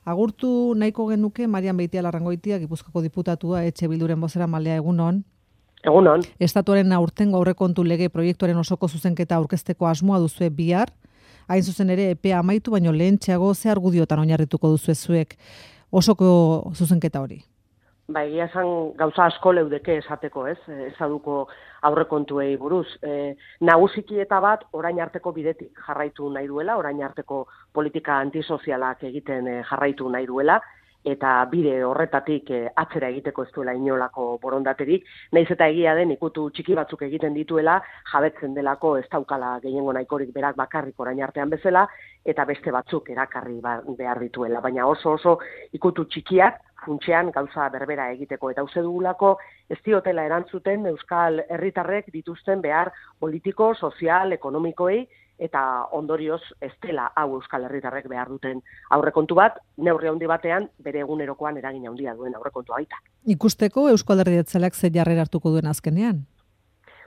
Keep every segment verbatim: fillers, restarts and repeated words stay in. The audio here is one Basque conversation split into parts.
Agurtu nahiko genuke Marian Beitialarrangoitia, Gipuzkoako diputatua, Etxe Bilduren bozeramalea, egunon. Egunon. Estatuaren aurtengo aurrekontu lege proiektuaren osoko zuzenketa aurkezteko asmoa duzue bihar. Hain zuzen ere epea amaitu baino lehentxeago ze argudiotan oinarrituko duzue zuek osoko zuzenketa hori. Ba, egia esan gauza asko leudeke esateko, ez? Ezaduko aurrekontuei buruz. E, nagusiki eta bat orain arteko bidetik jarraitu nahi duela, orain arteko politika antisozialak egiten e, jarraitu nahi duela, eta bide horretatik e, atzera egiteko ez duela inolako borondaterik, nahiz eta egia den ikutu txiki batzuk egiten dituela, jabetzen delako ez daukala gehiengo nahikorik berak bakarrik orain artean bezala, eta beste batzuk erakarri behar dituela. Baina oso oso ikutu txikiak, funtsean gauza berbera egiteko, eta uste dugulako ez diotela erantzuten Euskal Herritarrek dituzten behar politiko, sozial, ekonomikoei, eta ondorioz ez dela hau Euskal Herritarrek behar duten aurrekontu bat, neurri handi batean bere egunerokoan eragin handia duen aurrekontua baita. Ikusteko Euskal Herri Jeltzaleak ze jarrera hartuko duen azkenean?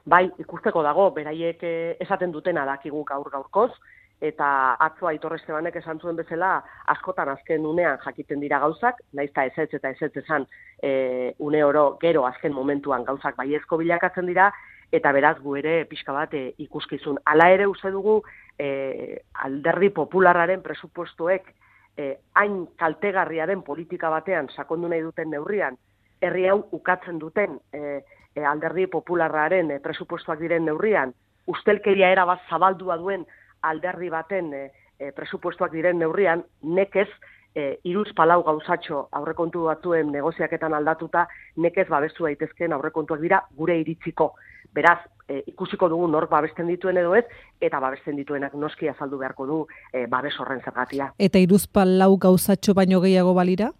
Bai, ikusteko dago, beraiek esaten dutena dakigu gaur gaurkoz, eta atzo Aitor Estebanek esan zuen bezala askotan azken unean jakiten dira gauzak, naiz eta ezetz eta ezetz esan e, une oro gero azken momentuan gauzak baiezko bilakatzen dira, eta beraz gu ere pixka bat e, ikuskizun. Hala ere uste dugu e, Alderdi Popularraren presupuestoek e, hain kaltegarria den politika batean sakondu nahi duten neurrian, herri hau ukatzen duten e, e, Alderdi Popularraren e, presupuestoak diren neurrian, ustelkeria erabat zabaldua duen alderdi baten e, e, presupuestoak diren neurrian, nekez e, iruz palau gauzatxo aurrekontu batzuen negoziaketan aldatuta, nekez babestu daitezkeen aurrekontuak dira gure iritziko. Beraz, e, ikusiko dugu nork babesten dituen edo ez, eta babesten dituenak noski azaldu beharko du e, babes horren zergatia. Eta iruz palau gauzatxo baino gehiago balira?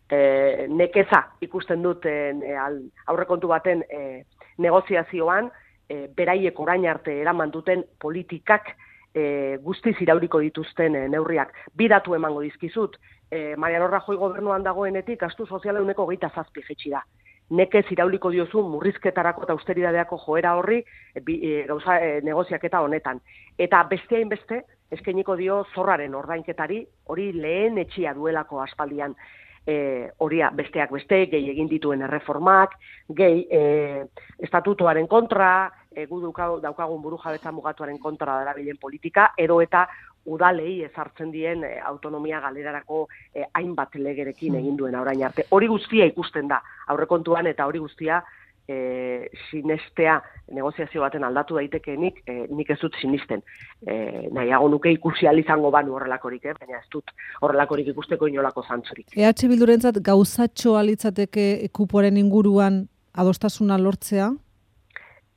E, nekeza ikusten dut e, aurrekontu baten e, negoziazioan, E, beraiek orain arte eraman duten politikak e, guztiz irauriko dituzten e, neurriak. Bi datu emango dizkizut, e, Mariano Rajoy gobernuan dagoenetik gastu soziala ehuneko hogeita zazpi jaitsi da. Nekez irauliko diozu murrizketarako eta austeridadeako joera horri e, bi, e, gauza e, negoziaketa honetan. Eta beste hainbeste eskainiko dio zorraren ordainketari, hori lehen etxia duelako aspaldian. E, horia besteak beste, gehi egin dituen erreformak, gehi e, estatutuaren kontra, e, gu daukagun buru jabetza mugatuaren kontra darabilen politika, edo eta udalei ezartzen dien e, autonomia galerarako e, hainbat legerekin egin duen orain arte. Hori guztia ikusten da aurrekontuan, eta hori guztia e, sinestea negoziazio baten aldatu daitekeenik, e, nik ez dut sinisten. E, nahiago nuke ikusi ahal izango banu horrelakorik, eh? Baina ez dut horrelakorik ikusteko inolako zantzurik. E H Bildurentzat gauzatxo alitzateke kuporen inguruan adostasuna lortzea?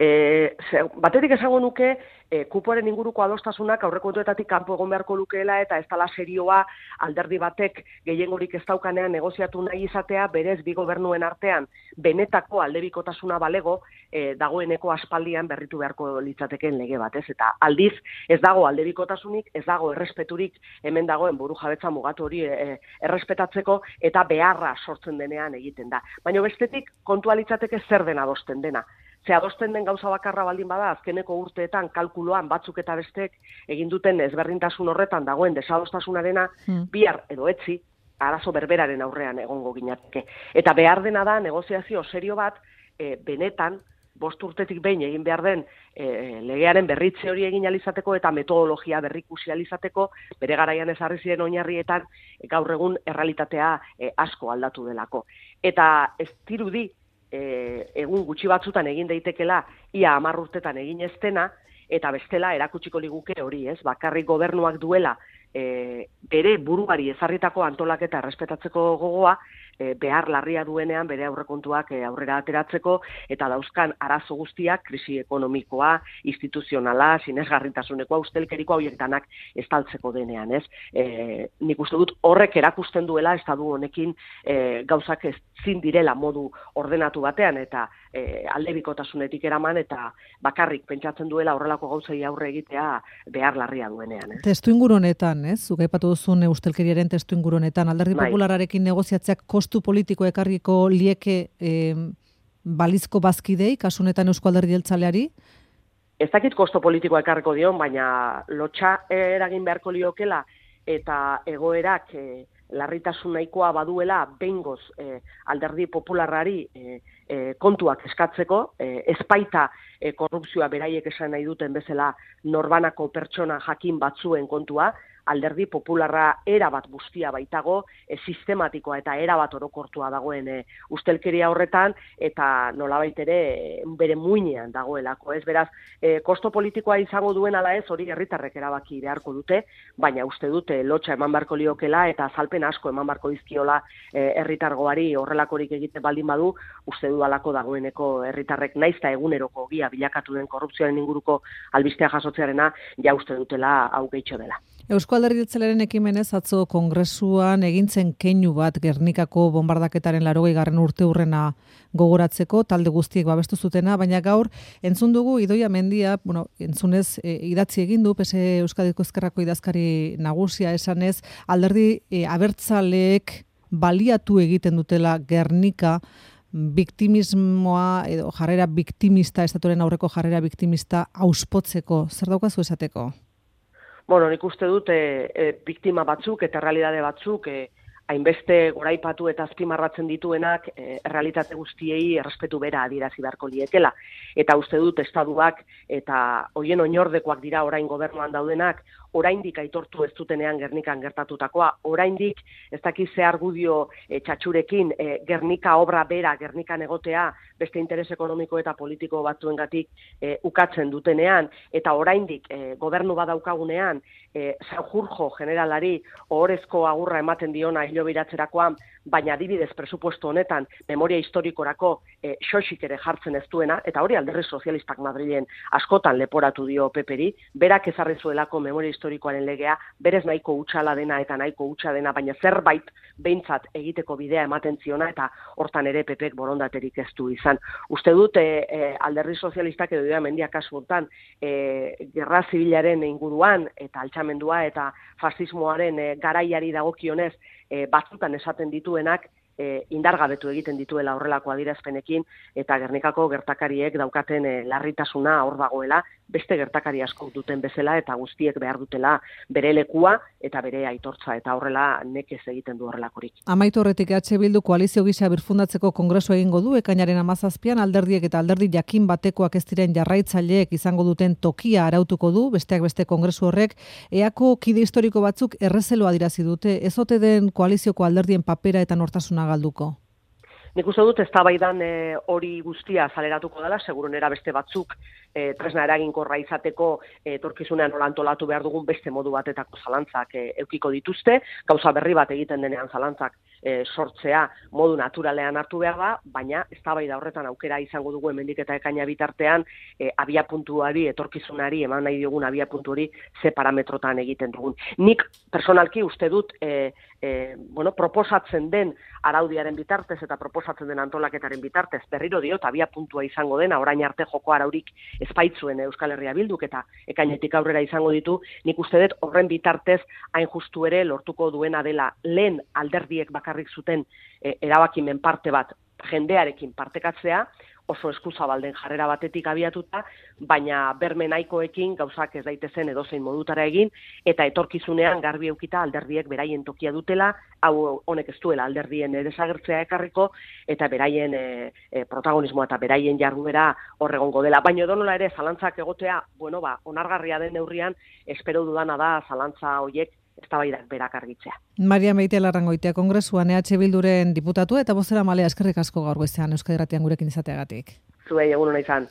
E, ze, batetik esango nuke, e, kuporen inguruko adostasunak aurrekontuetatik kanpo egon beharko lukeela, eta ez dela serioa alderdi batek gehiengorik ez daukanean negoziatu nahi izatea, berez bi gobernuen artean benetako aldebikotasuna balego, e, dagoeneko aspaldian berritu beharko litzateken lege bat, ez? Eta aldiz ez dago aldebikotasunik, ez dago errespeturik hemen dagoen buru jabetza mugatu hori e, errespetatzeko, eta beharra sortzen denean egiten da. Baina bestetik kontua litzateke zer den adosten dena. Ze adosten den gauza bakarra baldin bada, azkeneko urteetan kalkuloan batzuk eta bestek egin duten ezberdintasun horretan dagoen desadostasunarena, hmm. bihar edo etzi, arazo berberaren aurrean egongo ginateke. Eta behar dena da negoziazio serio bat, e, benetan, bost urtetik behin egin behar den e, legearen berritze hori egin alizateko eta metodologia berrikusi alizateko, bere garaian ezarri ziren oinarrietan e, gaur egun errealitatea e, asko aldatu delako. Eta ez dirudi, E, egun gutxi batzutan egin daitekela ia hamar urtetan egin ez dena, eta bestela erakutsiko liguke hori, ez? Bakarrik gobernuak duela e, bere buruari ezarritako antolaketa errespetatzeko gogoa, e, behar larria duenean bere aurrekontuak e, aurrera ateratzeko, eta dauzkan arazo guztiak, krisi ekonomikoa, instituzionala, sinesgarritasuneko, ustelkeriko hauek danak estaltzeko denean, ez? E, nik uste dut horrek erakusten duela estatu honekin e, gauzak ezin direla modu ordenatu batean, eta e, aldebikotasunetik eraman, eta bakarrik pentsatzen duela horrelako gauzei aurre egitea behar larria duenean, ez? Testu inguru honetan, ez? Zuk aipatu duzun ustelkeriaren testu inguru honetan, Alderdi Populararekin negoziatzeak kostu politiko ekarriko lieke eh, balizko bazkidei, kasu honetan Eusko Alderdi Jeltzaleari? Ez dakit kostu politiko ekarriko dion, baina lotxa eragin beharko liokela, eta egoerak e, larritasun nahikoa baduela behingoz e, alderdi popularrari e, e, kontuak eskatzeko, e, ezpaita e, korrupzioa beraiek esan nahi duten bezala norbanako pertsona jakin batzuen kontua, alderdi popularra erabat guztia baitago, e, sistematikoa eta erabat orokortua dagoen e, ustelkeria horretan, eta nolabait ere e, bere muinean dagoelako. Ez beraz, e, kosto politikoa izango duen ala ez, hori herritarrek erabaki beharko dute, baina uste dute lotxa eman barko liokela eta azalpen asko eman barko dizkiola e, herritargoari horrelakorik egiten baldin badu, uste dudalako dagoeneko herritarrek naiz eta eguneroko ogia bilakatu den korrupzioaren inguruko albistea jasotzearena, ja uste dutela hau gehitxo dela. Eusko Alderdi Jeltzalearen ekimenez atzo kongresuan egintzen keinu bat Gernikako bombardaketaren laurogeigarren urteurrena gogoratzeko, talde guztiek babestu zutena, baina gaur entzun dugu Idoia Mendia, bueno, entzunez e, idatzi egin du P S Euskadiko Ezkerrako idazkari nagusia esanez, alderdi e, abertzaleek baliatu egiten dutela Gernika biktimismoa edo jarrera biktimista, estatuaren aurreko jarrera biktimista auspotzeko. Zer daukazu esateko? Bueno, nik uste dut e, e, biktima batzuk eta errealitate batzuk e, hainbeste goraipatu eta azpimarratzen dituenak e, errealitate guztiei errespetu bera adierazi beharko liekela. Eta uste dut estatuak eta hoien oinordekoak dira orain gobernuan daudenak, oraindik aitortu ez dutenean Gernikan gertatutakoa, oraindik ez dakiz ze argudio e, txatxurekin e, Gernika obra bera Gernikan egotea beste interes ekonomiko eta politiko batzuengatik e, ukatzen dutenean, eta oraindik e, gobernu badaukagunean e, Sanjurjo generalari ohorezko agurra ematen diona hilobiratzerakoan, baina adibidez presupuesto honetan memoria historikorako e, xoxik ere jartzen ez duena, eta hori alderdi sozialistak Madrilen askotan leporatu dio Peperi, berak ezarri zuelako memoria historikoaren legea, berez nahiko hutsala dena eta nahiko hutsa dena, baina zerbait behintzat egiteko bidea ematen ziona, eta hortan ere Pepek borondaterik ez du izan. Uste dut e, e, alderdi sozialistak edo Idoia Mendia kasu hontan e, gerra zibilaren inguruan eta altxamendua eta fasismoaren e, garaiari dagokionez e, batzutan esaten dituenak e, indargabetu egiten dituela horrelako adierazpenekin, eta Gernikako gertakariek daukaten e, larritasuna hor dagoela, beste gertakari asko duten bezala, eta guztiek behar dutela bere lekua eta bere aitortza, eta horrela nekez egiten du horrelakorik. Amaitu horretik E H Bildu koalizio gisa birfundatzeko kongresu egingo du, ekainaren hamazazpian alderdiek eta alderdi jakin batekoak ez diren jarraitzaileek izango duten tokia arautuko du, besteak beste kongresu horrek, eako kide historiko batzuk errezeloa adirazi dute, ez ote den koalizioko alderdien papera eta nortasuna galduko? Nik uste dut eztabaidan e, hori guztia zaleratuko dela, segurunera beste batzuk e, tresna eraginkorra izateko e, etorkizunean nola antolatu behar dugun beste modu batetako zalantzak e, eukiko dituzte, gauza berri bat egiten denean zalantzak e, sortzea modu naturalean hartu behar da, baina eztabaida horretan aukera izango dugu hemendik eta ekaina bitartean e, abiapuntuari, etorkizunari, eman nahi diogun abiapuntu hori ze parametrotan egiten dugun. Nik personalki uste dut e, e, bueno, proposatzen den araudiaren bitartez eta proposatzen den antolaketaren bitartez, berriro diot, abia puntua izango dena, orain arte joko araurik espaitzuen Euskal Herria Bilduk eta ekainetik aurrera izango ditu, nik uste dut horren bitartez hain justu ere lortuko duena dela lehen alderdiek bakarrik zuten e, erabakimen parte bat jendearekin partekatzea, oso eskuzabalden jarrera batetik abiatuta, baina berme nahikoekin gauzak ez daitezen edozein modutara egin, eta etorkizunean garbi eukita alderdiek beraien tokia dutela, hau honek ez duela alderdien desagertzea ekarriko, eta beraien e, e, protagonismoa eta beraien jarduera horregongo dela. Baina edonola ere zalantzak egotea, bueno, ba, onargarria den neurrian, espero dudana da zalantza hoiek eztabaidak berak argitzea. Maria Beitialarrangoitia kongresuan E H Bilduren diputatu eta bozeramalea, eskerrik asko gaur goizean Euskadi Irratian gurekin izateagatik. Zuei egun ona izan.